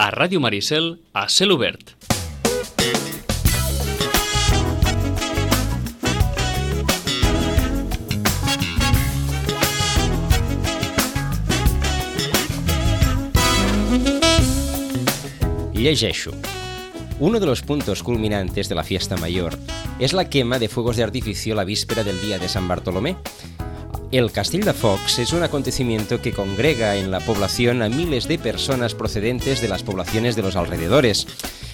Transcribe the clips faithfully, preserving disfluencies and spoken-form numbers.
a Ràdio Maricel, a Cel Obert. Llegeixo. Uno de los puntos culminantes de la fiesta mayor es la quema de fuegos de artificio la víspera del día de San Bartolomé. El Castell de Focs es un acontecimiento que congrega en la población a miles de personas procedentes de las poblaciones de los alrededores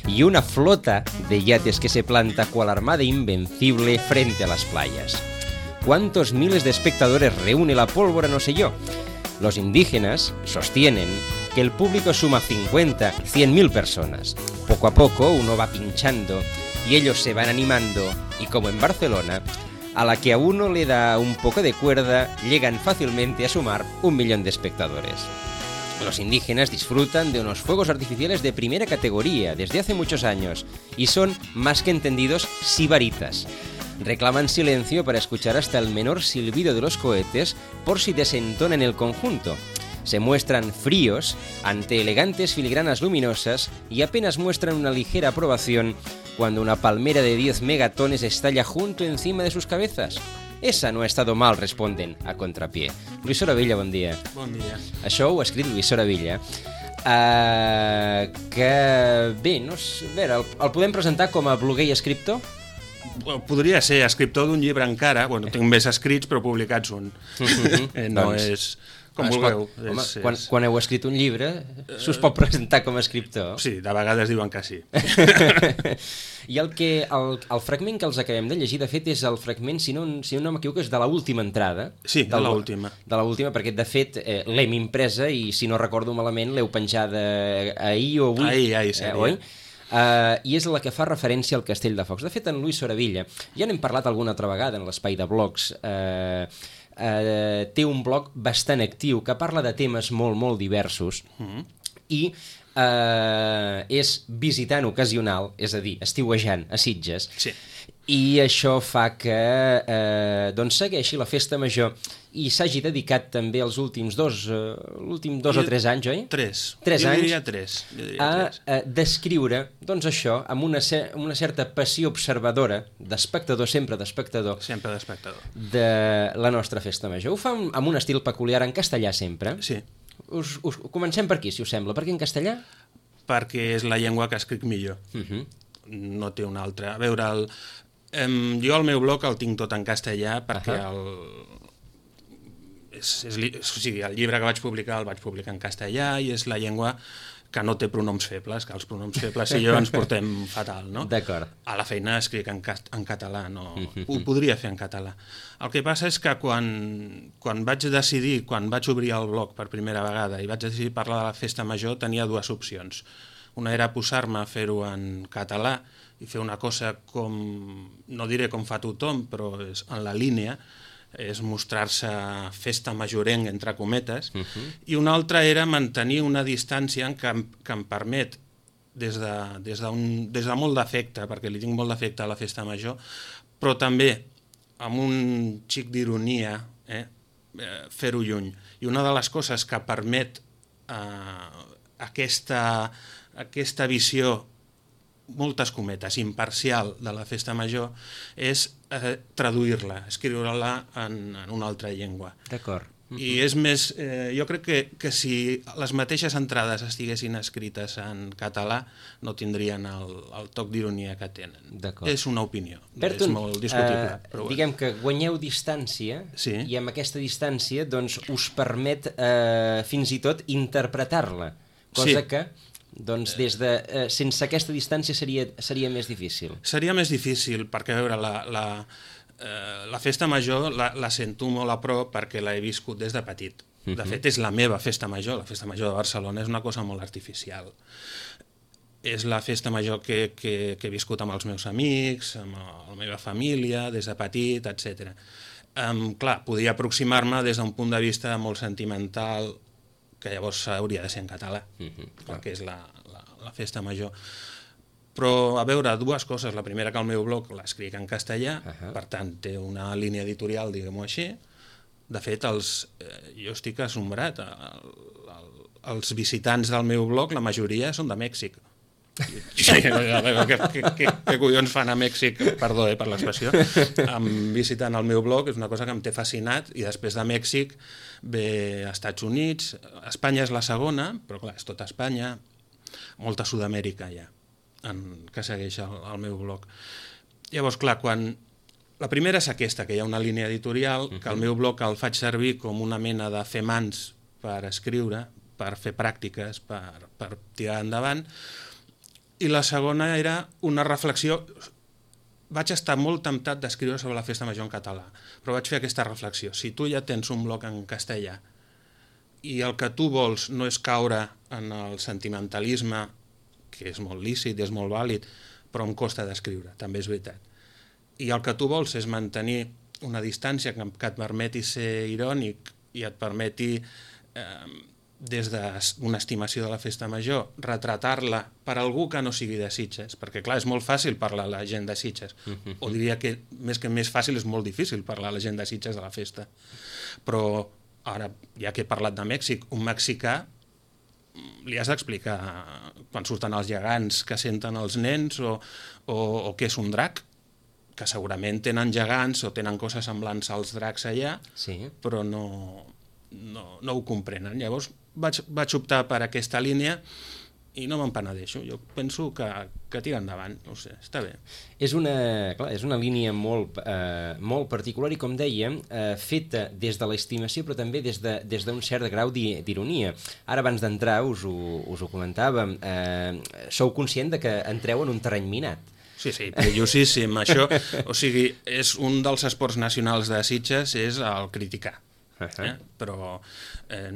y una flota de yates que se planta cual armada invencible frente a las playas. ¿Cuántos miles de espectadores reúne la pólvora? No sé yo. Los indígenas sostienen que el público suma cincuenta, cien mil personas. Poco a poco uno va pinchando y ellos se van animando y, como en Barcelona, a la que a uno le da un poco de cuerda, llegan fácilmente a sumar un millón de espectadores. Los indígenas disfrutan de unos fuegos artificiales de primera categoría desde hace muchos años y son, más que entendidos, sibaritas. Reclaman silencio para escuchar hasta el menor silbido de los cohetes por si desentonan el conjunto. Se muestran fríos ante elegantes filigranas luminosas y apenas muestran una ligera aprobación cuando una palmera de diez megatones estalla junto encima de sus cabezas. Esa no ha estado mal, responden a contrapié. Lluís Soravilla, bon dia. Bon dia. Això ho ha escrit Lluís Soravilla, uh, que, bé, no sé, a veure, el, el podem presentar com a bloguer i escriptor? Podria ser escriptor d'un llibre encara, bueno, tinc més escrits però publicats un. eh, no doncs, és... Com vulgueu. Home, és, quan, és... quan heu escrit un llibre, s'us pot presentar com a escriptor. Sí, de vegades diuen que sí. I el, que, el, el fragment que els acabem de llegir, de fet, és el fragment, si no, si no m'equivoco, és de l'última entrada. Sí, de l'última. De l'última, perquè, de fet, eh, l'hem impresa i, si no recordo malament, l'heu penjada ahir o avui. Ahir, ahir seria. Eh, oi? Uh, i és la que fa referència al Castell de Focs. De fet, en Lluís Soravilla, ja n'hem parlat alguna altra vegada en l'espai de blogs, eh, uh, té un blog bastant actiu que parla de temes molt, molt diversos, mm-hmm. i uh, és visitant ocasional, és a dir, estiuejant a Sitges, sí. I això fa que eh, doncs segueixi la festa major i s'hagi dedicat també els últims dos, eh, l'últim dos o tres anys, oi? Tres. Tres jo anys diria tres. Jo diria a, tres. a descriure, doncs això, amb una, una certa passió observadora, d'espectador, sempre d'espectador, sempre d'espectador, de la nostra festa major. Ho fa amb un estil peculiar, en castellà sempre. Sí. Us, us, comencem per aquí, si us sembla. Per què en castellà? Perquè és la llengua que escric millor. Uh-huh. No té una altra. A veure, el, um, jo el meu blog el tinc tot en castellà perquè uh-huh. el... És, és, o sigui, el llibre que vaig publicar el vaig publicar en castellà i és la llengua que no té pronoms febles, que els pronoms febles i jo ens portem fatal, no? D'acord. A la feina escric en, en català, no? Uh-huh. Ho podria fer en català. El que passa és que quan, quan vaig decidir, quan vaig obrir el blog per primera vegada i vaig decidir parlar de la festa major, tenia dues opcions. Una era posar-me a fer-ho en català i fer una cosa com, no diré com fa tothom, però és en la línia, és mostrar-se festa majorenc, entre cometes, uh-huh. i una altra era mantenir una distància que em, que em permet, des de, des, d'un, des de molt d'afecte, perquè li tinc molt d'afecte a la festa major, però també amb un xic d'ironia, eh, fer-ho lluny. I una de les coses que permet eh, aquesta, aquesta visió, moltes cometes, imparcial de la festa major, és eh, traduir-la, escriure-la en, en una altra llengua. D'acord. Uh-huh. I és més, eh, jo crec que, que si les mateixes entrades estiguessin escrites en català, no tindrien el, el toc d'ironia que tenen. D'acord. És una opinió, Berton, és molt discutible. Eh, però diguem que guanyeu distància, sí. i amb aquesta distància doncs, us permet eh, fins i tot interpretar-la, cosa sí. que... Doncs des de, eh, sense aquesta distància seria, seria més difícil. Seria més difícil, perquè a veure, la, la, eh, la festa major la, la sento molt a prop perquè l'he viscut des de petit. De uh-huh. fet, és la meva festa major, la festa major de Barcelona és una cosa molt artificial. És la festa major que, que, que he viscut amb els meus amics, amb la meva família, des de petit, etcètera. Um, clar, podia aproximar-me des d'un punt de vista molt sentimental, que llavors hauria de ser en català, uh-huh, perquè és la, la, la festa major. Però, a veure, dues coses. La primera, que el meu blog l'escric en castellà, uh-huh. per tant, té una línia editorial, diguem-ho així. De fet, els, eh, jo estic assombrat. El, el, els visitants del meu blog, la majoria són de Mèxic. Sí, què, què, què, què collons fan a Mèxic, perdó eh, per l'expressió, em visitant el meu blog, és una cosa que em té fascinat, i després de Mèxic ve a Estats Units, Espanya és la segona, però clar, és tota Espanya, molta Sud-amèrica ja, en, que segueix el, el meu blog. Llavors, clar, quan... La primera és aquesta, que hi ha una línia editorial, que el meu blog el faig servir com una mena de fer mans per escriure, per fer pràctiques, per, per tirar endavant. I la segona era una reflexió. Vaig estar molt temptat d'escriure sobre la Festa Major en català, però vaig fer aquesta reflexió. Si tu ja tens un blog en castellà i el que tu vols no és caure en el sentimentalisme, que és molt lícit, és molt vàlid, però em costa d'escriure, també és veritat. I el que tu vols és mantenir una distància que et permeti ser irònic i et permeti... Eh, des d'una estimació de la Festa Major, retratar-la per algú que no sigui de Sitges, perquè clar, és molt fàcil parlar a la gent de Sitges, o diria que més que més fàcil és molt difícil parlar a la gent de Sitges de la festa. Però ara, ja que he parlat de Mèxic, un mexicà li has d'explicar quan surten els gegants que senten els nens o, o, o què és un drac, que segurament tenen gegants o tenen coses semblants als dracs allà, sí. Però no... No, no ho comprenen. Llavors vaig, vaig optar per aquesta línia i no me'n penedeixo. Jo penso que, que tira endavant, no sé, està bé. És una, clar, és una línia molt, eh, molt particular i, com dèiem, eh, feta des de l'estimació però també des d'un de, des cert grau d'ironia. Ara, abans d'entrar, us, us ho comentàvem, eh, sou conscient de que entreu en un terreny minat. Sí, sí, perillosíssim. Això, o sigui, és un dels esports nacionals de Sitges, és el criticar. Eh? Però eh,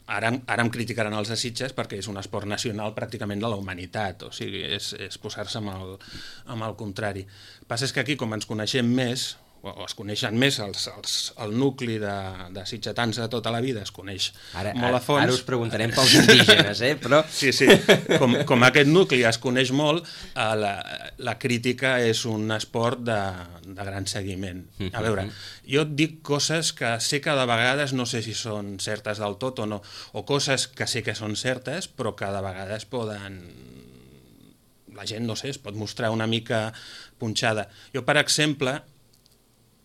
ara, ara em criticaran els de Sitges perquè és un esport nacional pràcticament de la humanitat, o sigui, és, és posar-se amb, el, amb el contrari. El que passa és que aquí, com ens coneixem més, o es coneixen més els, els, el nucli de, de sitgetans de tota la vida, es coneix ara, molt a fons. Ara us preguntarem pels indígenes, eh? Però... Sí, sí, com, com aquest nucli es coneix molt, eh, la, la crítica és un esport de, de gran seguiment. A veure, jo et dic coses que sé que de vegades no sé si són certes del tot o no, o coses que sé que són certes, però que de vegades poden... La gent, no sé, es pot mostrar una mica punxada. Jo, per exemple...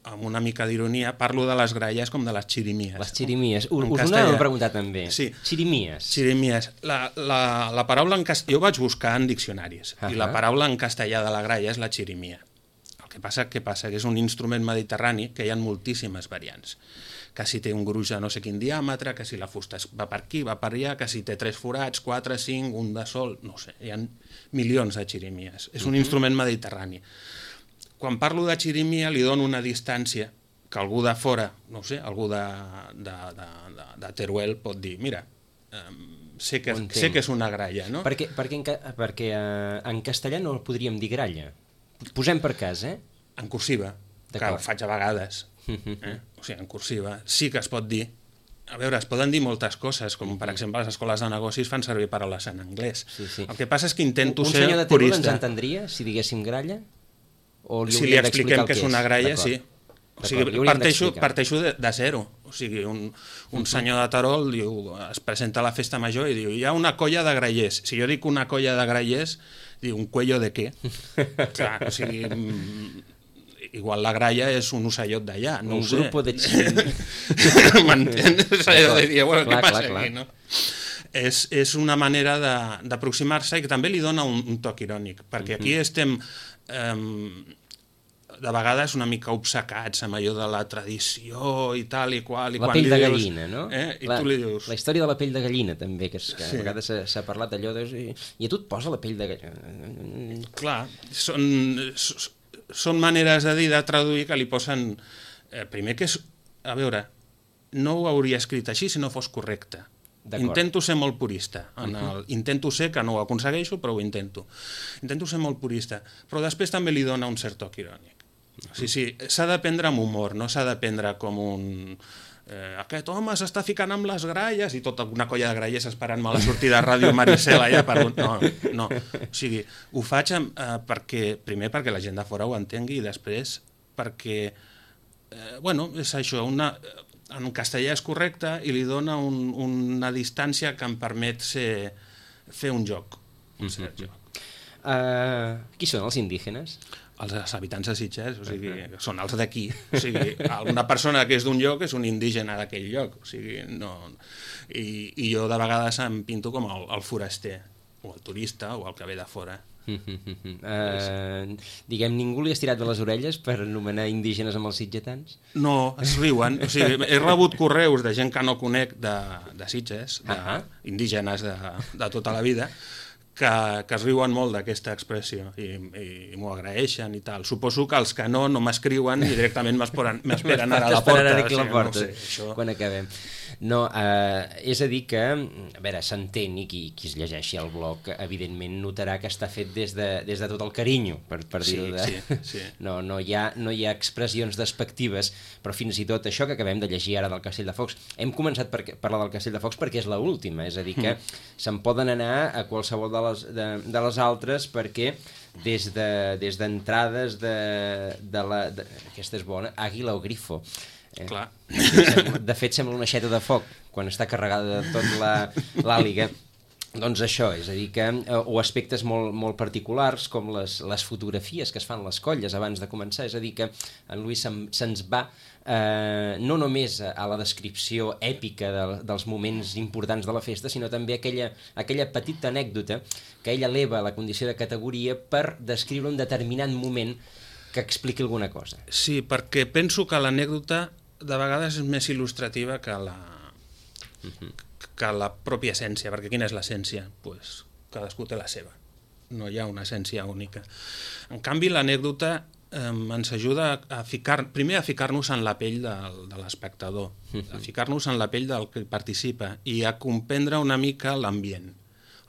amb una mica d'ironia, parlo de les gralles com de les xirimies. Les xirimies. Us ho anàvem a preguntar també. Sí. Xirimies. Xirimies. La, la, la paraula en castellà... Jo vaig buscar en diccionaris, uh -huh. i la paraula en castellà de la gralla és la xirimia. El que passa, què passa? Que és un instrument mediterrani que hi ha moltíssimes variants. Que si té un gruix de no sé quin diàmetre, que si la fusta va per aquí, va per allà, que si té tres forats, quatre, cinc, un de sol... No sé, hi ha milions de xirimies. És un uh -huh. instrument mediterrani. Quan parlo de xirimia li dono una distància que algú de fora, no sé, algú de, de, de, de, de Teruel pot dir, mira, eh, sé, que, sé que és una gralla, no? Perquè, perquè, en, perquè eh, en castellà no podríem dir gralla. Posem per cas, eh? En cursiva, que ho faig a vegades. Eh? O sigui, en cursiva sí que es pot dir. A veure, es poden dir moltes coses, com per exemple les escoles de negocis fan servir paraules en anglès. Sí, sí. El que passa és que intento un ser purista. Un senyor de Teruel ens entendria si diguéssim gralla? O li si li expliquem que és una gralla, sí. O sigui, parteixo, parteixo de, de zero. O sigui, un, un senyor de Terol diu, es presenta a la festa major i diu, hi ha una colla de grallers. Si jo dic una colla de grallers, diu, un cuello de què? Clar, o sigui, igual la gralla és un ocellot d'allà, no un ho sé. Un grupo de chill. M'entens? Bueno, què passa aquí, no? És, és una manera d'aproximar-se i que també li dona un, un toc irònic, perquè aquí estem... Um, de vegades una mica obcecats amb allò de la tradició i tal i qual. I la quan pell li de dius, gallina, no? Eh? I la, tu li dius... La història de la pell de gallina, també, que, és, que sí. A vegades s'ha parlat d'allò de... I a tu et posa la pell de gallina. Clar, són, són maneres de dir, de traduir, que li posen... Eh, primer que és... A veure, no ho hauria escrit així si no fos correcte. Intento ser molt purista. En el, intento ser, que no ho aconsegueixo, però ho intento. Intento ser molt purista. Però després també li dona un cert toc irònic. Sí, sí, s'ha de prendre amb humor, no s'ha de prendre com un... Eh, aquest home s'està ficant amb les gralles i tota una colla de grallers esperant-me a la sortida de Ràdio Maricel allà per un... No, no. O sigui, ho faig eh, perquè, primer perquè la gent de fora ho entengui i després perquè, eh, bueno, és això, una... en castellà és correcte i li dona un, una distància que em permet ser, fer un joc. Un cert joc. Uh, qui són els indígenes? Els habitants de Sitges, o sigui, uh-huh. són els d'aquí. O sigui, una persona que és d'un lloc és un indígena d'aquell lloc. O sigui, no... I, I jo de vegades em pinto com el, el foraster, o el turista, o el que ve de fora. Uh, diguem, ningú li ha estirat de les orelles per anomenar indígenes amb els sitgetans? No, es riuen. O sigui, he rebut correus de gent que no conec de, de Sitges, de, uh-huh. indígenes de, de tota la vida, que, que es riuen molt d'aquesta expressió i, i, i m'ho agraeixen i tal. Suposo que els que no, no m'escriuen i directament m'esperen ara a la porta. Aquí a la porta, o sigui, no sé, això... quan acabem. No, eh, és a dir que, a veure, s'entén, i qui, qui es llegeixi el blog, evidentment notarà que està fet des de, des de tot el carinyo, per, per dir-ho de... Sí, sí, sí. No, no, hi ha, no hi ha expressions despectives, però fins i tot això que acabem de llegir ara del Castell de Focs, hem començat per parlar del Castell de Focs perquè és l'última, és a dir que mm. se'n poden anar a qualsevol de les, de, de les altres perquè des de, des d'entrades de, de la... De, aquesta és bona, Àguila o Grifo. Eh? Clar. De fet, sembla una aixeta de foc quan està carregada de tot l'àliga. Doncs això, és a dir que... O aspectes molt, molt particulars, com les, les fotografies que es fan les colles abans de començar, és a dir que en Lluís se'ns va eh, no només a la descripció èpica de, dels moments importants de la festa, sinó també aquella, aquella petita anècdota que ell eleva a la condició de categoria per descriure un determinat moment que expliqui alguna cosa. Sí, perquè penso que l'anècdota de vegades és més il·lustrativa que la, uh-huh. que la pròpia essència, perquè quina és l'essència? Pues, cadascú té la seva, no hi ha una essència única. En canvi, l'anècdota eh, ens ajuda a ficar, primer a ficar-nos en la pell de, de l'espectador, uh-huh. a ficar-nos en la pell del que participa i a comprendre una mica l'ambient.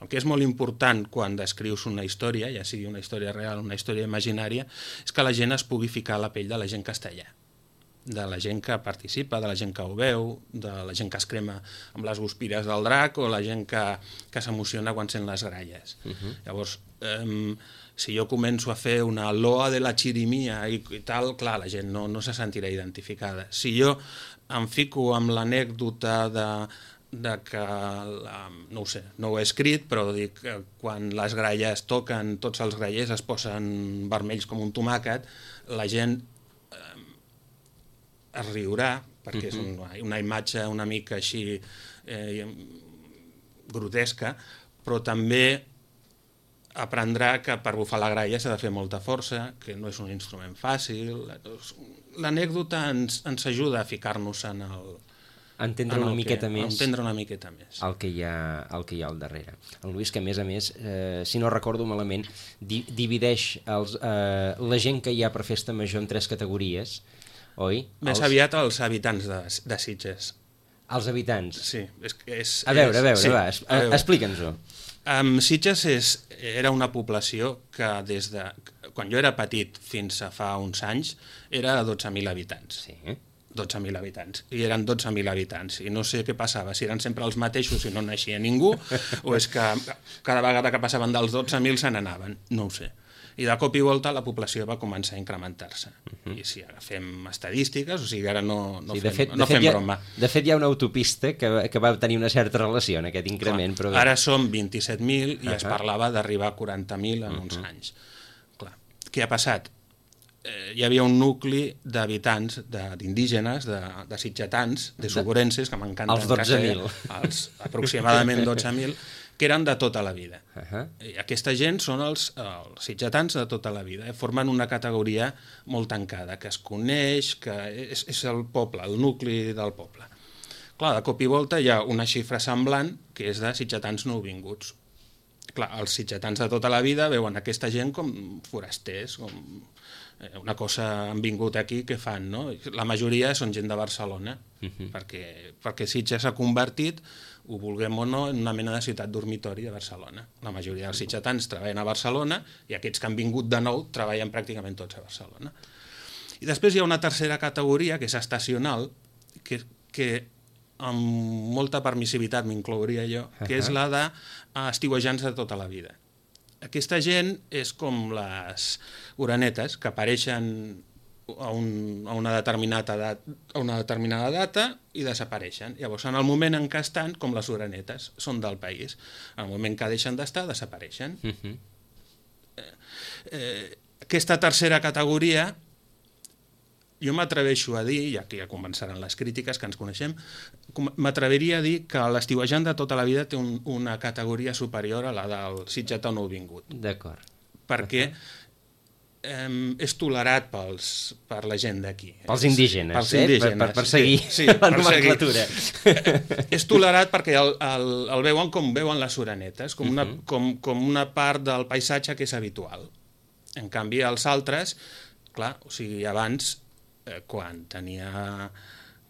El que és molt important quan descrius una història, ja sigui una història real o una història imaginària, és que la gent es pugui ficar a la pell de la gent castellà, de la gent que participa, de la gent que ho veu, de la gent que es crema amb les guspires del drac o la gent que, que s'emociona quan sent les gralles. Uh-huh. Llavors, eh, si jo començo a fer una loa de la xirimia i, i tal, clar, la gent no, no se sentirà identificada. Si jo em fico amb l'anècdota de de que, la, no ho sé, no ho he escrit, però dic que quan les gralles toquen, tots els grallers es posen vermells com un tomàquet, la gent eh, es riurà, perquè uh-huh. és una, una imatge una mica així eh, grotesca, però també aprendrà que per bufar la gralla s'ha de fer molta força, que no és un instrument fàcil. L'anècdota ens, ens ajuda a ficar-nos en el... entendre una miqueta que, més entendre una miqueta més el que hi ha, el que hi ha al darrere. El Lluís, que a més a més, eh, si no recordo malament, di divideix els, eh, la gent que hi ha per festa major en tres categories, oi? Més els... aviat els habitants de, de Sitges. Els habitants? Sí. És, és, a veure, a veure, sí, va, es, a, explica'ns-ho. Um, Sitges és, era una població que des de... Quan jo era petit fins a fa uns anys era dotze mil habitants. Sí. dotze mil habitants, i eren dotze mil habitants, i no sé què passava, si eren sempre els mateixos i no naixia ningú, o és que cada vegada que passaven dels dotze mil se n'anaven, no ho sé. I de cop i volta la població va començar a incrementar-se. Uh-huh. I si agafem estadístiques, o sigui, ara no, no sí, fem, fet, no fem broma. Ha, de fet, hi ha una autopista que, que va tenir una certa relació en aquest increment. Clar, però... Ara som vint-i-set mil i uh-huh. es parlava d'arribar a quaranta mil en uh-huh. uns anys. Clar. Què ha passat? Eh, hi havia un nucli d'habitants, d'indígenes, de, de sitgetans, de suburenses, que m'encanten. Els dotze mil. Els aproximadament dotze mil, que eren de tota la vida. Uh-huh. I aquesta gent són els, els sitgetans de tota la vida. Eh? Formen una categoria molt tancada, que es coneix, que és, és el poble, el nucli del poble. Clar, de cop i volta hi ha una xifra semblant, que és de sitgetans nouvinguts. Clar, els sitgetans de tota la vida veuen aquesta gent com forasters, com... una cosa han vingut aquí que fan, no? La majoria són gent de Barcelona, uh-huh. perquè, perquè Sitges s'ha convertit, ho vulguem o no, en una mena de ciutat dormitori de Barcelona. La majoria dels sitgetans treballen a Barcelona i aquests que han vingut de nou treballen pràcticament tots a Barcelona. I després hi ha una tercera categoria, que és estacional, que, que amb molta permissivitat m'inclouria jo, uh-huh. que és la d'estiuejants de tota la vida. Aquesta gent és com les orenetes, que apareixen a, un, a, una determinada edat, a una determinada data i desapareixen. Llavors, en el moment en què estan, com les orenetes, són del país. En el moment que deixen d'estar, desapareixen. Uh-huh. eh, eh, aquesta tercera categoria, jo m'atreveixo a dir, i aquí ja començaran les crítiques que ens coneixem, m'atreviria a dir que l'estiuejant de tota la vida té un, una categoria superior a la del sitgetà nouvingut. D'acord. Perquè eh, és tolerat pels, per la gent d'aquí. Pels indígenes, pels eh? indígenes, per, per, per seguir sí, sí, la nomenclatura. És tolerat perquè el, el, el veuen com veuen les orenetes, com una, uh-huh. com, com una part del paisatge que és habitual. En canvi, els altres, clar, o sigui, abans, eh, quan tenia...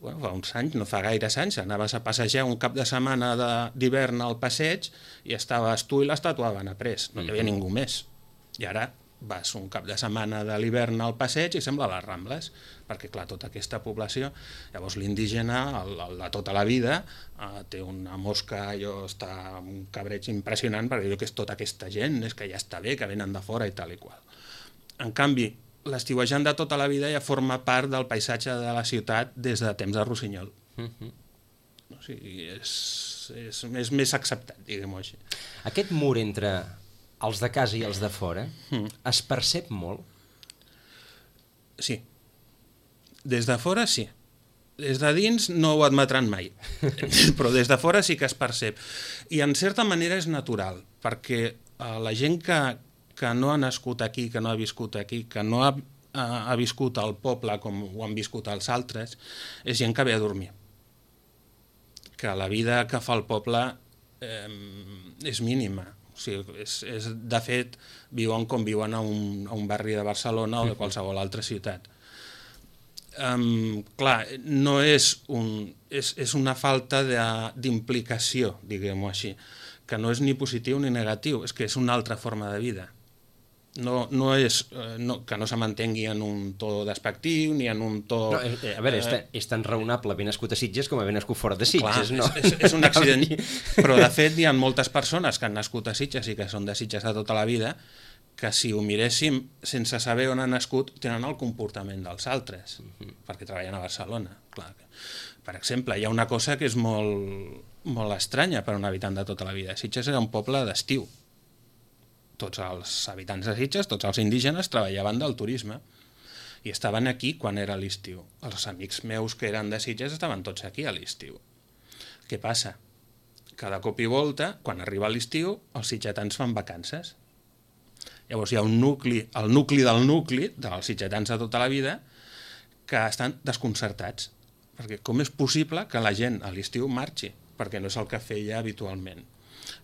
Bueno, fa uns anys, no fa gaires anys, anaves a passejar un cap de setmana d'hivern al passeig i estaves tu i l'estàtua van après, no hi havia ningú més. I ara vas un cap de setmana de l'hivern al passeig i sembla les Rambles, perquè clar, tota aquesta població, llavors l'indígena, el, el de tota la vida, eh, té una mosca, allò està un cabreig impressionant, perquè diu que és tota aquesta gent, és que ja està bé, que venen de fora i tal i qual. En canvi, l'estiuejant de tota la vida ja forma part del paisatge de la ciutat des de temps de Rossinyol. Uh-huh. O sigui, és, és, és més acceptat, diguem-ho així. Aquest mur entre els de casa i els de fora uh-huh. es percep molt? Sí. Des de fora, sí. Des de dins no ho admetran mai, però des de fora sí que es percep. I en certa manera és natural, perquè eh, la gent que que no ha nascut aquí, que no ha viscut aquí, que no ha, ha, ha viscut al poble com ho han viscut els altres, és gent que ve a dormir. Que la vida que fa el poble eh, és mínima. O sigui, és, és, de fet, viuen com viuen a un, a un barri de Barcelona o de qualsevol altra ciutat. Um, clar, no és, un, és, és una falta d'implicació, diguem-ho així, que no és ni positiu ni negatiu, és que és una altra forma de vida. No, no és eh, no, que no se mantengui en un to despectiu ni en un to... No, eh, a veure, eh, és, tan, és tan raonable haver nascut a Sitges com haver nascut fora de Sitges, clar, no? És, és, és un accident, però de fet hi ha moltes persones que han nascut a Sitges i que són de Sitges de tota la vida que si ho miréssim sense saber on han nascut tenen el comportament dels altres, uh-huh. perquè treballen a Barcelona. Clar. Per exemple, hi ha una cosa que és molt, molt estranya per a un habitant de tota la vida. Sitges era un poble d'estiu. Tots els habitants de Sitges, tots els indígenes, treballaven del turisme i estaven aquí quan era l'estiu. Els amics meus que eren de Sitges estaven tots aquí a l'estiu. Què passa? Cada cop i volta, quan arriba l'estiu, els sitgetans fan vacances. Llavors hi ha un nucli, el nucli del nucli, dels sitgetans de tota la vida, que estan desconcertats. Perquè com és possible que la gent a l'estiu marxi? Perquè no és el que feia habitualment.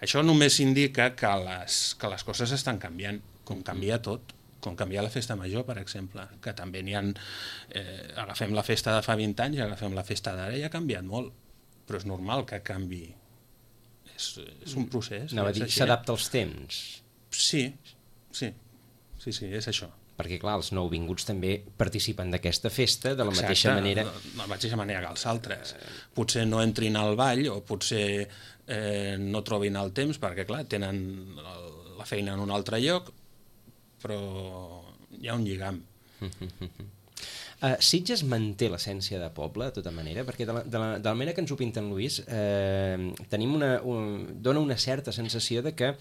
Això només indica que les, que les coses estan canviant, com canvia tot, com canvia la festa major, per exemple, que també n'hi ha... Eh, agafem la festa de fa vint anys i agafem la festa d'ara i ha canviat molt, però és normal que canvi. És, és un procés. Anava a dir, s'adapta als temps. Sí, sí, sí, sí, és això. Perquè, clar, els nouvinguts també participen d'aquesta festa de la Exacte, mateixa manera... de la mateixa manera que els altres. Potser no entrin al ball o potser eh, no trobin el temps perquè, clar, tenen la feina en un altre lloc, però hi ha un lligam. Uh, Sitges manté l'essència de poble, de tota manera, perquè de la, de la, de la manera que ens ho pinta en Lluís, eh, tenim una, un, dona una certa sensació de que,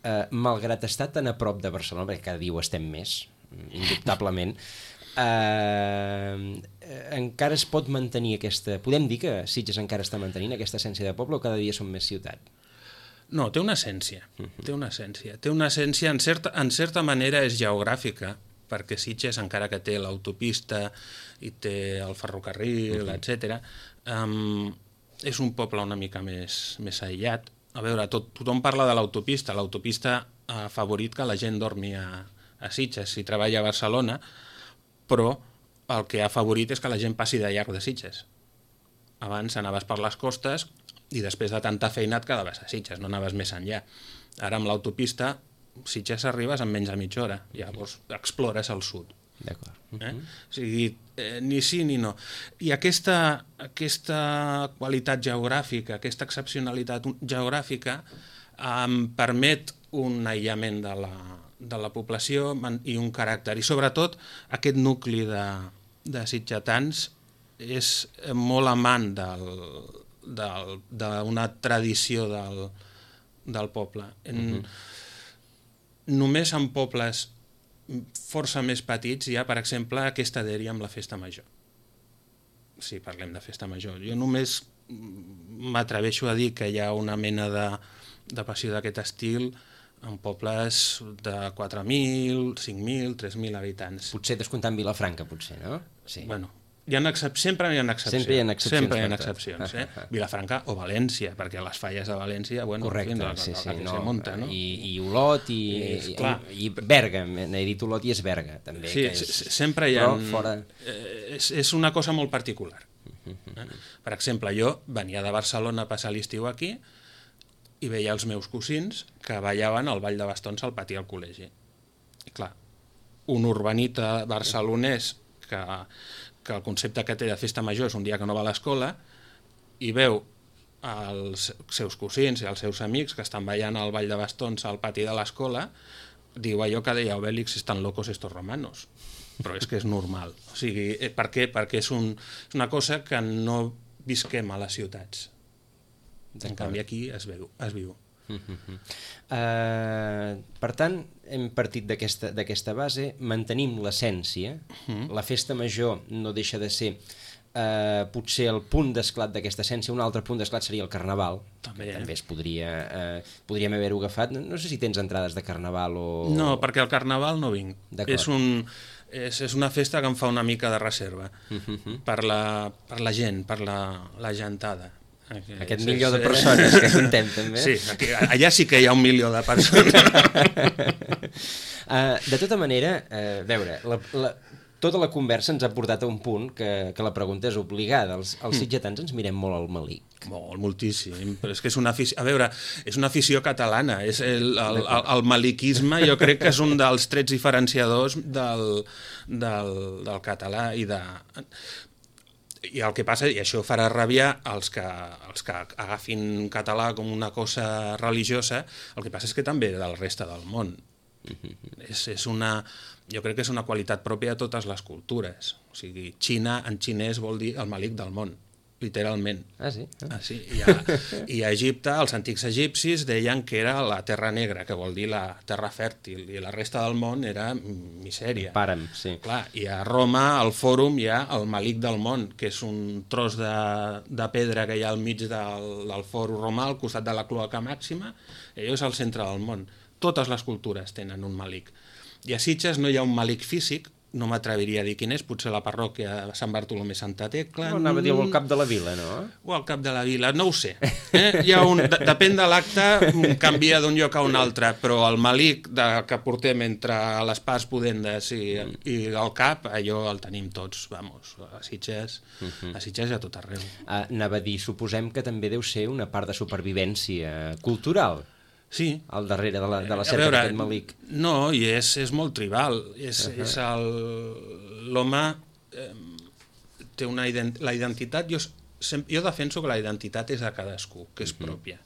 eh, malgrat estar tan a prop de Barcelona, perquè cada dia ho estem més, indubtablement, eh, encara es pot mantenir aquesta... Podem dir que Sitges encara està mantenint aquesta essència de poble o cada dia som més ciutat? No, té una essència, té una essència. Té una essència, en certa, en certa manera és geogràfica, perquè Sitges, encara que té l'autopista i té el ferrocarril, uh-huh. etcètera, um, és un poble una mica més, més aïllat. A veure, tot, tothom parla de l'autopista. L'autopista ha favorit que la gent dormi a, a Sitges si treballa a Barcelona, però el que ha favorit és que la gent passi de llarg de Sitges. Abans anaves per les costes i després de tanta feina et quedaves a Sitges, no anaves més enllà. Ara amb l'autopista Sitges arribes en menys de mitja hora, llavors explores el sud. D'acord. Eh? O sigui, eh, ni sí ni no. I aquesta, aquesta qualitat geogràfica, aquesta excepcionalitat geogràfica em permet un aïllament de la, de la població i un caràcter. I sobretot aquest nucli de, de sitgetans és molt amant del, del, d'una tradició del, del poble. En, uh-huh. Només en pobles força més petits hi ha, per exemple, aquesta dèria amb la festa major. Si parlem de festa major. Jo només m'atreveixo a dir que hi ha una mena de, de passió d'aquest estil en pobles de quatre mil, cinc mil, tres mil habitants. Potser descomptant Vilafranca, potser, no? Sí. Bueno, hi ha excep... sempre hi ha excepcions. Sempre hi ha excepcions. Sempre hi ha excepcions, eh? Vilafranca o València, perquè les falles de València, bueno, correcte, en fi, sí, sí, no, no, se munta, no? I, i Olot i, és, i, i Berga, he dit Olot i és Berga, també. Sí, que és... sempre hi ha... Però fora... És, és una cosa molt particular. Eh? Per exemple, jo venia de Barcelona a passar l'estiu aquí i veia els meus cosins que ballaven al ball de bastons al pati del col·legi. I clar, un urbanita barcelonès que, que el concepte que té de festa major és un dia que no va a l'escola i veu els seus cosins i els seus amics que estan ballant al ball de bastons al pati de l'escola, diu allò que deia Obélix, estan locos estos romanos. Però és que és normal. O sigui, per què? Perquè és, un, és una cosa que no visquem a les ciutats. En canvi aquí es viu. Es viu. Uh-huh. Uh, per tant, hem partit d'aquesta d'aquesta base, mantenim l'essència, uh-huh. La festa major no deixa de ser uh, potser el punt d'esclat d'aquesta essència, un altre punt d'esclat seria el carnaval, també, eh? També es podria, uh, podríem haver-ho agafat, no, no sé si tens entrades de carnaval o... No, perquè al carnaval no vinc. És, un, és, és una festa que em fa una mica de reserva, uh-huh. per, la, per la gent, per la, la gentada. Aquest, Aquest milió de persones que contem, també. Sí, aquí, allà sí que hi ha un milió de persones. uh, de tota manera, uh, veure, la, la, tota la conversa ens ha portat a un punt que, que la pregunta és obligada. Els, els sitgetans ens mirem molt al malic. Molt, moltíssim. Però és que és una afició... A veure, és una afició catalana. És el, el, el, el maliquisme jo crec que és un dels trets diferenciadors del, del, del català i de... I el que passa, i això farà rabiar els que, els que agafin català com una cosa religiosa, el que passa és que també del resta del món. Mm-hmm. És, és una, jo crec que és una qualitat pròpia de totes les cultures. O sigui, Xina en xinès vol dir el malic del món, literalment. Ah, sí? Ah, sí. I, a, I a Egipte, els antics egipcis deien que era la terra negra, que vol dir la terra fèrtil, i la resta del món era misèria. Pàrem, sí. Clar, i a Roma, al Fòrum, hi ha el malic del món, que és un tros de, de pedra que hi ha al mig del, del Fòrum romà, al costat de la cloaca màxima, i allò és el centre del món. Totes les cultures tenen un malic. I a Sitges no hi ha un malic físic, no m'atreviria a dir quin és, potser la parròquia Sant Bartolomé Santa Tecla... No, anava a dir al cap de la vila, no? O al cap de la vila, no ho sé. Eh? Hi ha un, de, depèn de l'acte, canvia d'un lloc a un altre, però el malic de, que portem entre les parts pudendes i, i el cap, allò el tenim tots, vamos, a Sitges, uh-huh. a Sitges i a tot arreu. Uh, anava a dir, suposem que també deu ser una part de supervivència cultural. Sí. Al darrere de la, de la cerca d'aquest malic. No, i és, és molt tribal. És, uh-huh. és el... L'home eh, té una ident... la identitat... Jo, sem... jo defenso que la identitat és de cadascú, que és uh-huh. pròpia.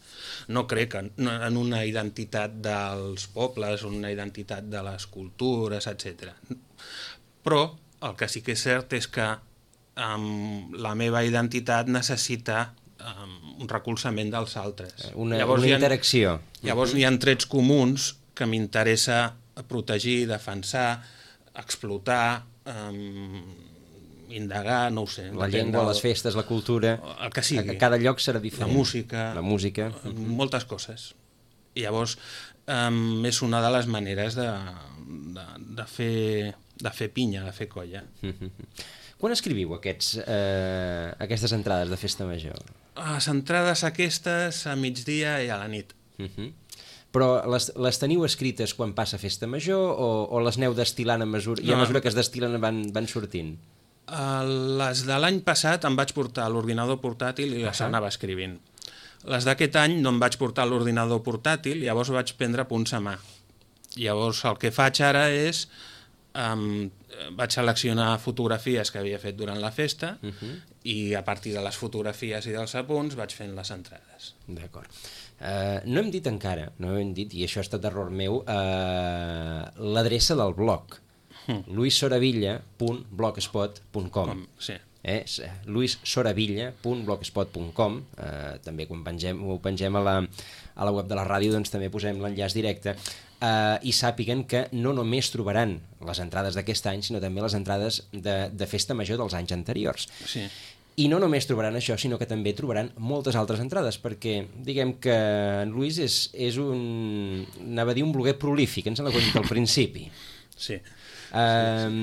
No crec en, en una identitat dels pobles, una identitat de les cultures, etcètera. Però el que sí que és cert és que um, la meva identitat necessita um, un recolzament dels altres. Una, llavors, una interacció. Ha, llavors uh-huh. hi ha trets comuns que m'interessa protegir, defensar, explotar, um, indagar, no ho sé. La llengua, del... les festes, la cultura... El que sigui. A cada lloc serà diferent. La música. La música. Uh-huh. Moltes coses. I llavors um, és una de les maneres de, de, de, fer, de fer pinya, de fer colla. Uh-huh. Quan escriviu aquests, eh, aquestes entrades de festa major? Les entrades aquestes a migdia i a la nit. Uh-huh. Però les, les teniu escrites quan passa festa major o, o les aneu destil·lant a mesura, no, i a mesura que es destil·len van, van sortint? Uh, les de l'any passat em vaig portar l'ordinador portàtil i les uh-huh. anava escrivint. Les d'aquest any no em vaig portar l'ordinador portàtil, llavors vaig prendre punts a mà. Llavors el que faig ara és Um, vaig seleccionar fotografies que havia fet durant la festa uh-huh. i a partir de les fotografies i dels apunts vaig fent les entrades. D'acord. Uh, no hem dit encara, no hem dit, i això ha estat error meu, uh, l'adreça del blog, uh-huh. luis soravilla punt blogspot punt com. Sí. Eh? luis soravilla punt blogspot punt com. eh, també quan pengem, ho pengem a la, a la web de la ràdio, doncs també posem l'enllaç directe, eh, i sàpiguen que no només trobaran les entrades d'aquest any, sinó també les entrades de, de festa major dels anys anteriors. Sí. I no només trobaran això, sinó que també trobaran moltes altres entrades, perquè diguem que en Luis és, és un, anava a dir un bloguer prolífic, ens l'ha dit al principi. Sí. Eh, sí,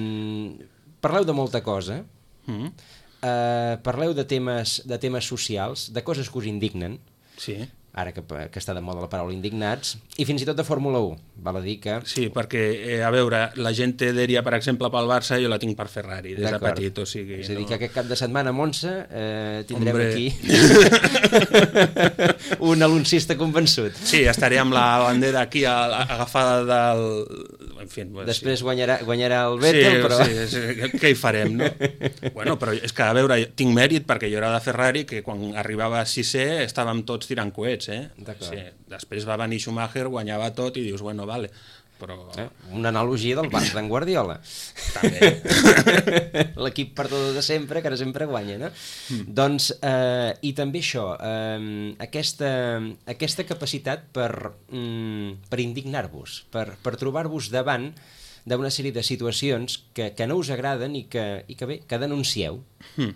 sí. Parleu de molta cosa. Mm-hmm. Uh, parleu de temes, de temes socials, de coses que us indignen, sí. ara que, que està de moda la paraula indignats, i fins i tot de Fórmula u, val a dir que... Sí, perquè, eh, a veure, la gent té dèria, per exemple, pel Barça, jo la tinc per Ferrari, des de petit, o sigui... És a dir, no... que aquest cap de setmana a Monza eh, tindrem Hombre. aquí un aloncista convençut. Sí, estaré amb la bandera aquí agafada del... En fi, pues, després sí. guanyarà, guanyarà el Vettel, sí, però... Sí, sí, què hi farem, no? Bueno, però és que, a veure, tinc mèrit perquè jo era de Ferrari, que quan arribava a sisè estàvem tots tirant coets, eh? Sí. Després va venir Schumacher, guanyava tot i dius, bueno, vale, però... Eh? Una analogia del Barça d'en Guardiola. També. L'equip perdedor de sempre, que ara sempre guanya, no? Mm. Doncs, eh, i també això, eh, aquesta, aquesta capacitat per, mm, per indignar-vos, per, per trobar-vos davant d'una sèrie de situacions que, que no us agraden i que, i que bé, que denuncieu. Mm.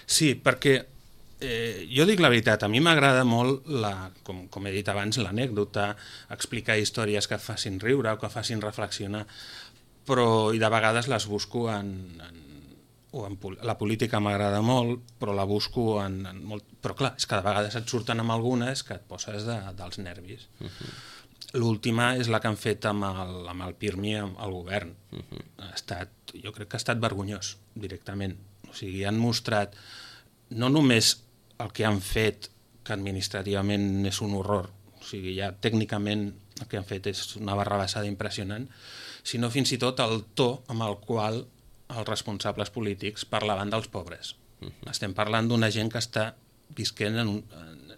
Sí, perquè eh, jo dic la veritat, a mi m'agrada molt, la, com, com he dit abans, l'anècdota, explicar històries que facin riure o que facin reflexionar, però i de vegades les busco en... en o en, la política m'agrada molt, però la busco en, en molt... Però clar, és que de vegades et surten amb algunes que et poses de, dels nervis. Uh-huh. L'última és la que han fet amb el, amb el Pirmi al govern. Uh-huh. Ha estat, jo crec que ha estat vergonyós, directament. O sigui, han mostrat no només el que han fet, que administrativament és un horror, o sigui, ja tècnicament el que han fet és una barrabassada impressionant, sinó fins i tot el to amb el qual els responsables polítics parlaven dels pobres. Uh-huh. Estem parlant d'una gent que està visquent en, un, en,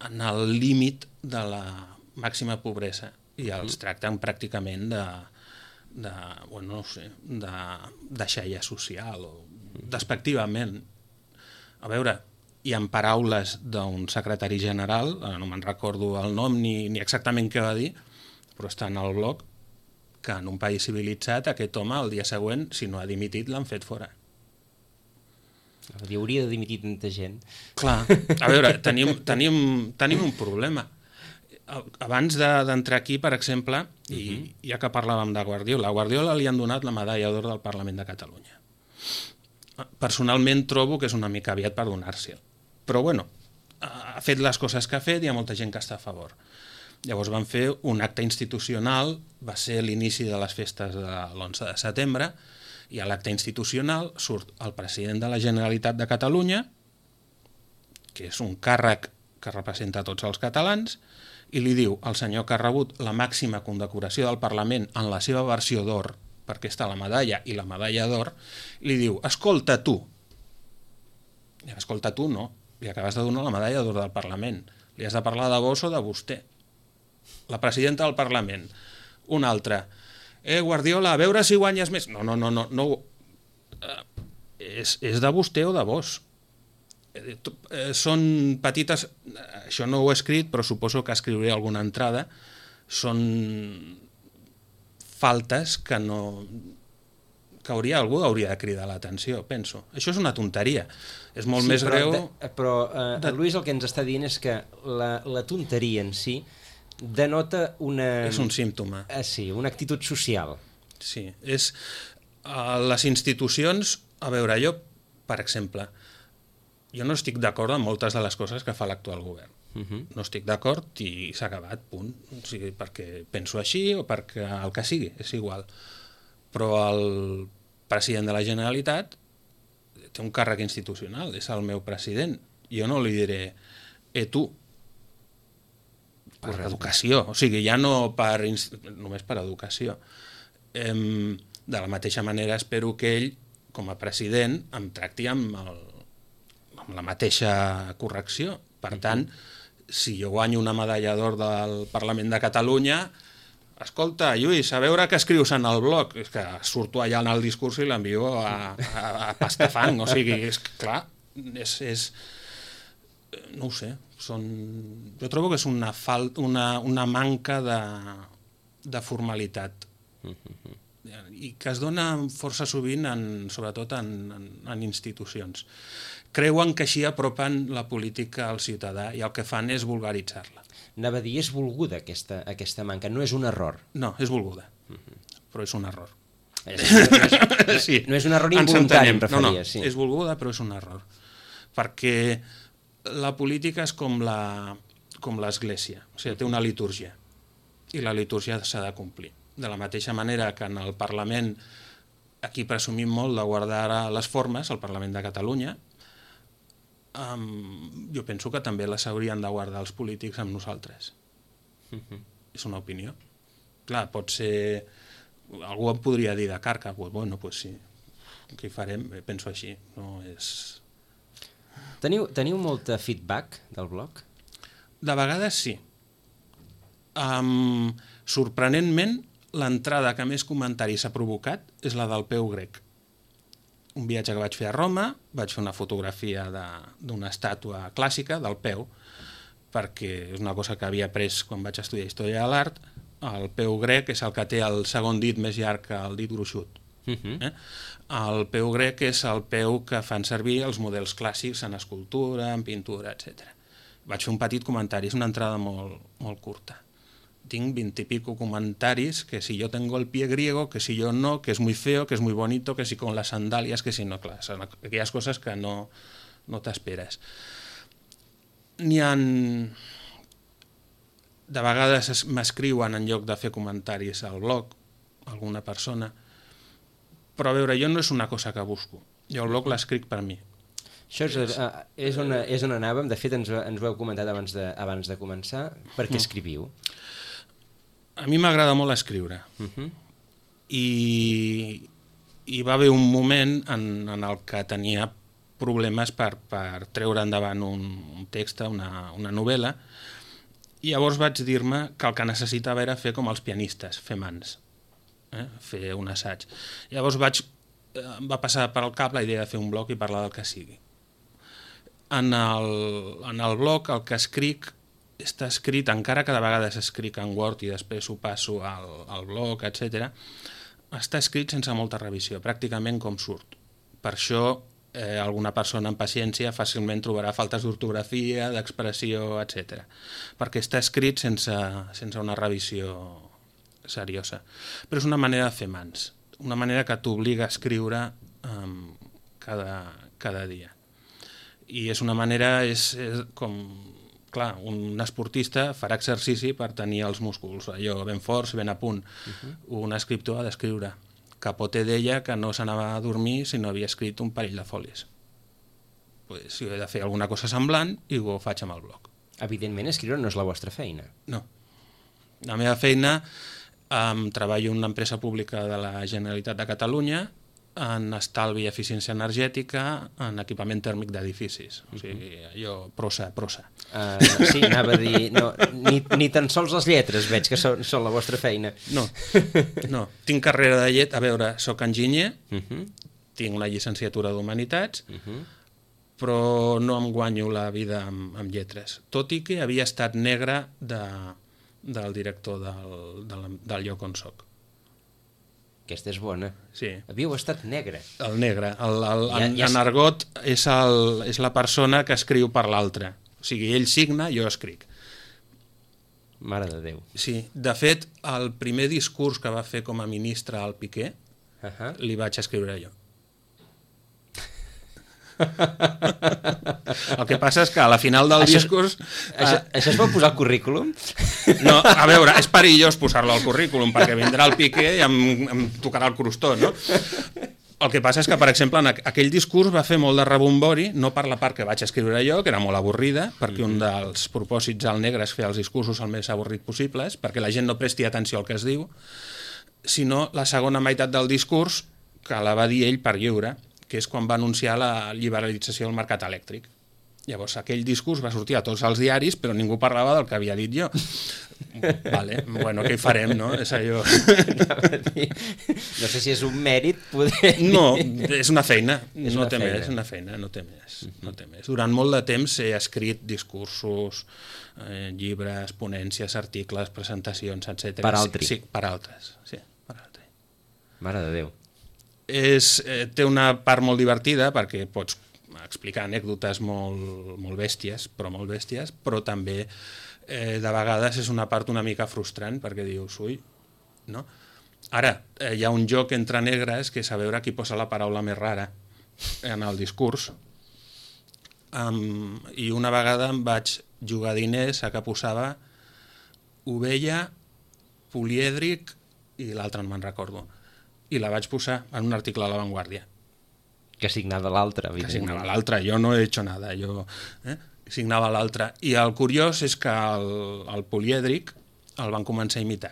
en el límit de la màxima pobresa i els uh-huh. tracten pràcticament de, de, bueno, no sé, de, de xella social o despectivament. A veure, i en paraules d'un secretari general, no me'n recordo el nom ni, ni exactament què va dir, però està en el blog, que en un país civilitzat aquest home el dia següent, si no ha dimitit, l'han fet fora. Hi hauria de dimitir tanta gent. Clar, a veure, tenim, tenim, tenim un problema. Abans d'entrar aquí, per exemple, i uh-huh. ja que parlàvem de Guardiola, a Guardiola li han donat la medalla d'or del Parlament de Catalunya. Personalment trobo que és una mica aviat per donar-se'l. Però bueno, ha fet les coses que ha fet i hi ha molta gent que està a favor. Llavors van fer un acte institucional, va ser l'inici de les festes de l'onze de setembre, i a l'acte institucional surt el president de la Generalitat de Catalunya, que és un càrrec que representa tots els catalans, i li diu al senyor que ha rebut la màxima condecoració del Parlament en la seva versió d'or, perquè està la medalla i la medalla d'or, li diu, escolta tu, i escolta tu no, li acabes de donar la medalla d'or del Parlament, li has de parlar de vos o de vostè. La presidenta del Parlament, un altre, eh, Guardiola, a veure si guanyes més. No, no, no, no, no. Eh, és, és de vostè o de vos. Eh, eh, són petites, això no ho he escrit, però suposo que escriuré alguna entrada, són faltes que no... que hauria, algú hauria de cridar l'atenció, penso. Això és una tonteria. És molt sí, més però, greu... De, però eh, de... el Lluís el que ens està dient és que la, la tonteria en si denota una... És un símptoma. Eh, sí, una actitud social. Sí, és... Uh, les institucions... A veure, jo, per exemple, jo no estic d'acord amb moltes de les coses que fa l'actual govern. Uh-huh. No estic d'acord i s'ha acabat, punt. O sigui, perquè penso així o perquè el que sigui, és igual. Però el president de la Generalitat té un càrrec institucional, és el meu president. Jo no li diré, eh, tu, per educació, o sigui, ja no per, només per educació. Eh, De la mateixa manera espero que ell, com a president, em tracti amb, el, amb la mateixa correcció. Per tant, si jo guanyo una medalla d'or del Parlament de Catalunya, escolta, Lluís, a veure què escrius en el blog. És que surto allà en el discurs i l'envio a, a, a pastafang. O sigui, és clar, és, és... no ho sé. Són... Jo trobo que és una, falt, una, una manca de, de formalitat. I que es dona força sovint, en, sobretot en, en, en institucions. Creuen que així apropen la política al ciutadà i el que fan és vulgaritzar-la. Anava a dir, és volguda aquesta, aquesta manca, no és un error. No, és volguda, uh-huh. però és un error. No és, sí. no és un error involuntari, em referia. No, no, sí. és volguda, però és un error. Perquè la política és com la, com l'església, o sigui, té una litúrgia, i la litúrgia s'ha de complir. De la mateixa manera que en el Parlament, aquí presumim molt de guardar les formes, al Parlament de Catalunya, Um, jo penso que també les haurien de guardar els polítics amb nosaltres. Uh-huh. És una opinió. Clar, pot ser... Algú em podria dir de carca, pues, bueno, pues sí, què hi farem? Penso així, no és... Teniu, teniu molt feedback del blog? De vegades sí. Um, sorprenentment, l'entrada que més comentaris ha provocat és la del peu grec. Un viatge que vaig fer a Roma, vaig fer una fotografia d'una estàtua clàssica del peu, perquè és una cosa que havia après quan vaig estudiar Història de l'Art. El peu grec és el que té el segon dit més llarg que el dit gruixut. Uh-huh. eh? El peu grec és el peu que fan servir els models clàssics en escultura, en pintura, etcètera. Vaig fer un petit comentari, és una entrada molt, molt curta. Tinc vint y pico comentaris que si yo tengo el pie griego, que si yo no, que es muy feo, que es muy bonito, que si con las sandalias, que si no, clar, són aquelles coses que no, no t'esperes. N'hi ha... De vegades m'escriuen en lloc de fer comentaris al blog, alguna persona, però a veure, jo no és una cosa que busco, jo el blog l'escric per mi. Això és, uh, és, on, és on anàvem, de fet ens, ens ho heu comentat abans de, abans de començar, per què escriviu? A mi m'agrada molt escriure. Uh-huh. I, I va haver un moment en, en el que tenia problemes per, per treure endavant un, un text, una, una novel·la, i llavors vaig dir-me que el que necessitava era fer com els pianistes, fer mans, eh? fer un assaig. Llavors vaig, em va passar per al cap la idea de fer un blog i parlar del que sigui. En el, en el blog el que escric està escrit, encara que de vegades escric en Word i després ho passo al, al blog, etcètera, està escrit sense molta revisió, pràcticament com surt. Per això eh, alguna persona amb paciència fàcilment trobarà faltes d'ortografia, d'expressió, etcètera. Perquè està escrit sense, sense una revisió seriosa. Però és una manera de fer mans, una manera que t'obliga a escriure um, cada, cada dia. I és una manera, és, és com... Clar, un esportista farà exercici per tenir els músculs, allò ben forts, ben a punt. Uh-huh. Un escriptor ha d'escriure. Capote deia que no s'anava a dormir si no havia escrit un parell de fòlies. Pues, si he de fer alguna cosa semblant, i ho faig amb el blog. Evidentment, escriure no és la vostra feina. No. La meva feina, um, treballo en una empresa pública de la Generalitat de Catalunya, en estalvi i eficiència energètica, en equipament tèrmic d'edificis. O sigui, allò, prosa, prosa. Uh, sí, anava a dir, no, ni, ni tan sols les lletres veig que són, són la vostra feina. No, no. Tinc carrera de llet, a veure, soc enginyer, uh-huh. tinc una llicenciatura d'Humanitats, uh-huh. però no em guanyo la vida amb, amb lletres. Tot i que havia estat negre de, del director del, del, del lloc on soc. Aquesta és bona. Sí. Havíeu estat negre. El negre. El, el, ja, en, ja... en argot és, el, és la persona que escriu per l'altre. O sigui, ell signa, jo escric. Mare de Déu. Sí. De fet, el primer discurs que va fer com a ministre al Piqué, uh-huh. li vaig escriure jo. El que passa és que a la final del això, discurs... Això, uh, això es pot posar al currículum? No, a veure, és perillós posar-lo al currículum, perquè vindrà el Piqué i em, em tocarà el crostó, no? El que passa és que, per exemple, en aquell discurs va fer molt de rebombori, no per la part que vaig escriure jo, que era molt avorrida, perquè un dels propòsits al negre és fer els discursos el més avorrit possibles, perquè la gent no presti atenció al que es diu, sinó la segona meitat del discurs, que la va dir ell per lliure, que és quan va anunciar la liberalització del mercat elèctric. Llavors, aquell discurs va sortir a tots els diaris, però ningú parlava del que havia dit jo. Vale, bueno, què hi farem, no? És allò... No sé si és un mèrit poder... No, és una feina, és no una té feina. més, una feina, no té més, no té més. Durant molt de temps he escrit discursos, eh, llibres, ponències, articles, presentacions, etcètera. Per altri. Sí, per altres, sí, per altri. Mare de Déu. És, eh, té una part molt divertida perquè pots explicar anècdotes molt, molt bèsties, però molt bèsties, però també eh, de vegades és una part una mica frustrant perquè dius, ui, no? Ara, eh, hi ha un joc entre negres que és a veure qui posa la paraula més rara en el discurs. Um, I una vegada em vaig jugar diners a que posava ovella, polièdric i l'altre no me'n recordo. I la vaig posar en un article a La Vanguardia. Que signava l'altre, Que evidentment. signava l'altre, jo no he hecho nada, jo eh? signava l'altre. I el curiós és que el, el polièdric el van començar a imitar.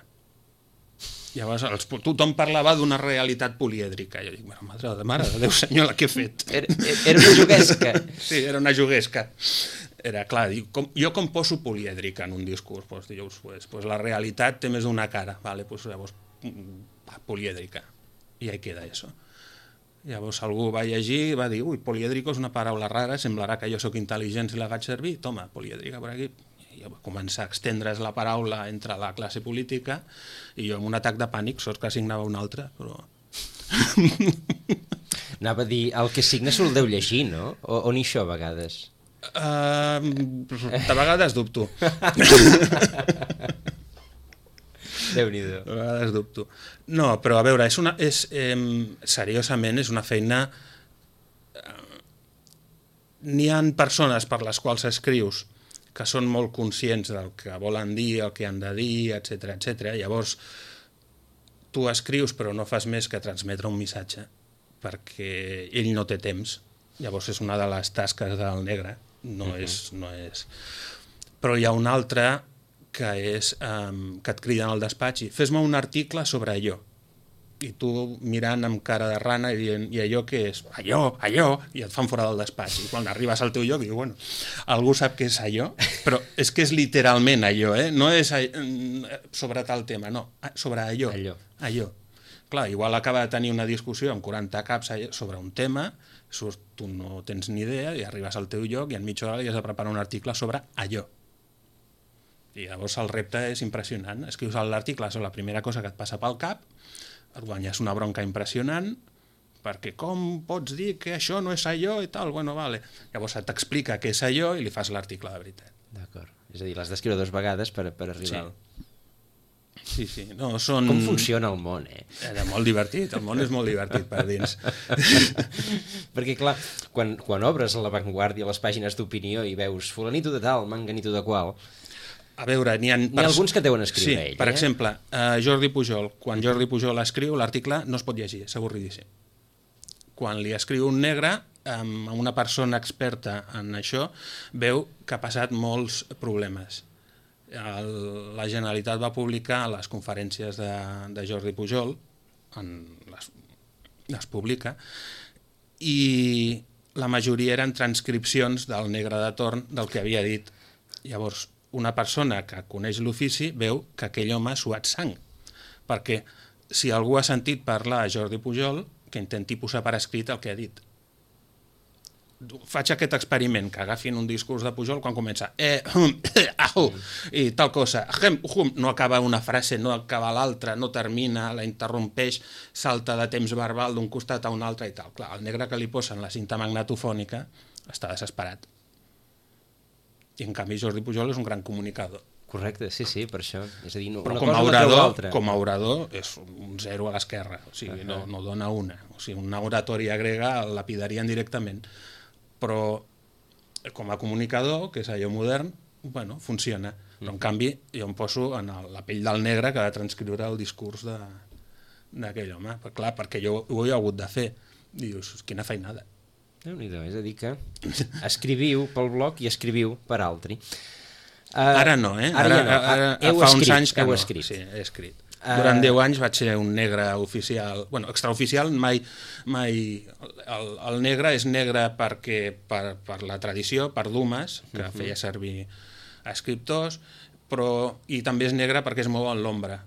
Llavors els, tothom parlava d'una realitat polièdrica. Jo dic, madre de mare de Déu senyor, la que he fet. Era, era una juguesca. Sí, era una juguesca. Era clar, dic, com, jo com poso polièdric en un discurs? Pues, dius, pues, pues la realitat té més d'una cara, vale, pues, llavors polièdrica. I ahí queda això. Llavors algú va llegir i va dir, ui, polièdrico és una paraula rara, semblarà que jo sóc intel·ligent si la faig servir, toma, polièdrica per aquí. I va començar a extendre's la paraula entre la classe política i jo amb un atac de pànic, sols que signava un altre, però... Anava a dir, el que signa se'l deu llegir, no? O, o ni això a vegades? Uh, de vegades dubto. Déu-n'hi-do. A vegades dubto. No, però a veure, és una, és, eh, seriosament és una feina... Eh, n'hi ha persones per les quals escrius que són molt conscients del que volen dir, el que han de dir, etcètera, etcètera. Llavors, tu escrius però no fas més que transmetre un missatge perquè ell no té temps. Llavors és una de les tasques del negre. No, uh-huh. és, no és... Però hi ha una altra que és um, que et criden al despatx i fes-me un article sobre allò. I tu mirant amb cara de rana i dient, i allò què és? Allò, allò, i et fan fora del despatx. I quan arribes al teu lloc dius, bueno, algú sap què és allò? Però és que és literalment allò, eh? No és sobre tal tema, no, sobre allò. Allò. Allò. Clar, igual acaba de tenir una discussió amb quaranta caps sobre un tema, surt, tu no tens ni idea, i arribes al teu lloc i en mitja hora li has de preparar un article sobre allò. I llavors el repte és impressionant. Escrius l'article sobre la primera cosa que et passa pel cap, et guanyes una bronca impressionant, perquè com pots dir que això no és allò i tal? Bueno, vale. Llavors t'explica què és allò i li fas l'article de veritat. D'acord. És a dir, l'has d'escriure dues vegades per, per arribar... Sí. Sí, sí. No, són... Com funciona el món, eh? Era molt divertit, el món és molt divertit per dins. Perquè, clar, quan, quan obres a La Vanguardia les pàgines d'opinió i veus fulanito de tal, manganito de qual... A veure, n'hi ha... N'hi ha alguns que deuen escriure sí, ell, per eh? exemple, uh, Jordi Pujol. Quan Jordi Pujol escriu, l'article no es pot llegir, és avorridíssim. Quan li escriu un negre, um, una persona experta en això, veu que ha passat molts problemes. El, la Generalitat va publicar les conferències de, de Jordi Pujol, en les, les publica, i la majoria eren transcripcions del negre de torn del que havia dit. Llavors, una persona que coneix l'ofici veu que aquell home ha suat sang. Perquè si algú ha sentit parlar a Jordi Pujol, que intenti posar per escrit el que ha dit. Faig aquest experiment, que agafin un discurs de Pujol quan comença eh, hum, eh, ahu, i tal cosa, hum, hum, no acaba una frase, no acaba l'altra, no termina, la interrompeix, salta de temps verbal d'un costat a un altre i tal. Clar, el negre que li posen la cinta magnetofònica està desesperat. I en canvi Jordi Pujol és un gran comunicador. Correcte, sí, sí, per això. És a dir, no, però una com a, cosa orador, no treu l'altra. com a orador és un zero a l'esquerra, o sigui, uh-huh. no, no dona una. O sigui, una oratòria grega el lapidarien directament. Però com a comunicador, que és allò modern, bueno, funciona. Però en canvi jo em poso en el, la pell del negre que ha de transcriure el discurs de, d'aquell home. Però, clar, perquè jo ho he hagut de fer. Dius, quina feinada. Déu-n'hi-do, és a dir que escriviu pel blog i escriviu per altri. Uh, ara no, eh? Ara, Ara, ja no. ara, Heu fa escrit, uns anys que heu no. Escrit. Sí, he escrit. Durant deu anys vaig ser un negre oficial, bueno, extraoficial, mai, mai el, el negre és negre perquè, per, per la tradició, per Dumas, que uh-huh. feia servir escriptors, però, i també és negre perquè es mou en l'ombra,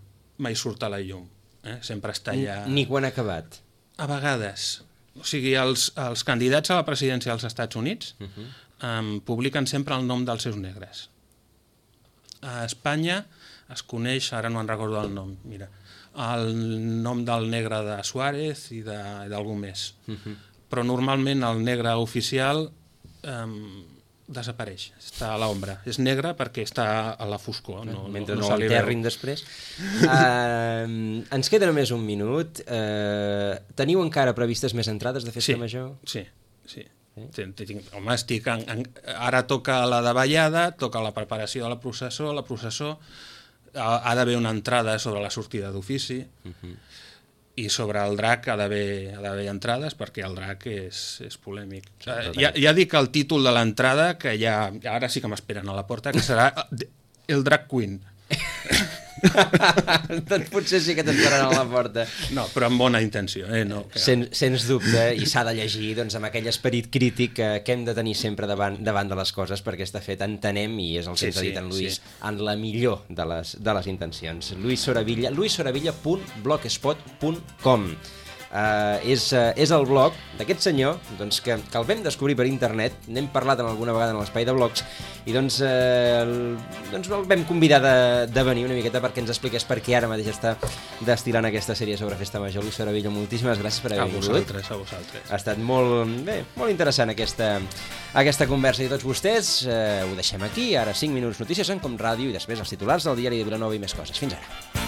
mai surt a la llum, eh? Sempre està allà... Ni quan ha acabat? A vegades. O sigui, els, els candidats a la presidència dels Estats Units uh-huh. um, publiquen sempre el nom dels seus negres. A Espanya es coneix, ara no en recordo el nom, mira, el nom del negre de Suárez i d'algú més. Uh-huh. Però normalment el negre oficial um, desapareix, està a l'ombra. És negre perquè està a la foscor. No, Mentre no, no, no l'enterrin després. uh, ens queda només un minut. Uh, teniu encara previstes més entrades de Festa sí, Major? Sí, sí. Sí? Home, estic en, en, ara toca la davallada, toca la preparació de la processó, la processó ha, ha d'haver una entrada sobre la sortida d'ofici uh-huh. i sobre el drac ha d'haver entrades perquè el drac és, és polèmic. Sí, ja, ja dic el títol de l'entrada, que ja, ara sí que m'esperen a la porta, que serà el Drag Queen. Doncs potser sí que t'esperaran a la porta. No, però amb bona intenció. Eh? No, que... Sen, sens dubte, i s'ha de llegir doncs, amb aquell esperit crític que, que hem de tenir sempre davant, davant de les coses, perquè està fet, entenem, i és el que sí, ens ha dit en Lluís, sí. en la millor de les, de les intencions. Lluís Soravilla, lluís soravilla punt blogspot punt com. Uh, és, uh, és el blog d'aquest senyor doncs, que, que el vam descobrir per internet, n'hem parlat en alguna vegada en l'espai de blogs i doncs, uh, el, doncs el vam convidar de, de venir una miqueta perquè ens expliqués per què ara mateix està destil·lant aquesta sèrie sobre Festa Major. Lluís Soravilla, moltíssimes gràcies per haver vingut. A vosaltres, a vosaltres. Ha estat molt, bé, molt interessant aquesta, aquesta conversa i tots vostès uh, ho deixem aquí, ara cinc minuts notícies en Com Ràdio i després els titulars del diari de Vilanova i més coses. Fins ara.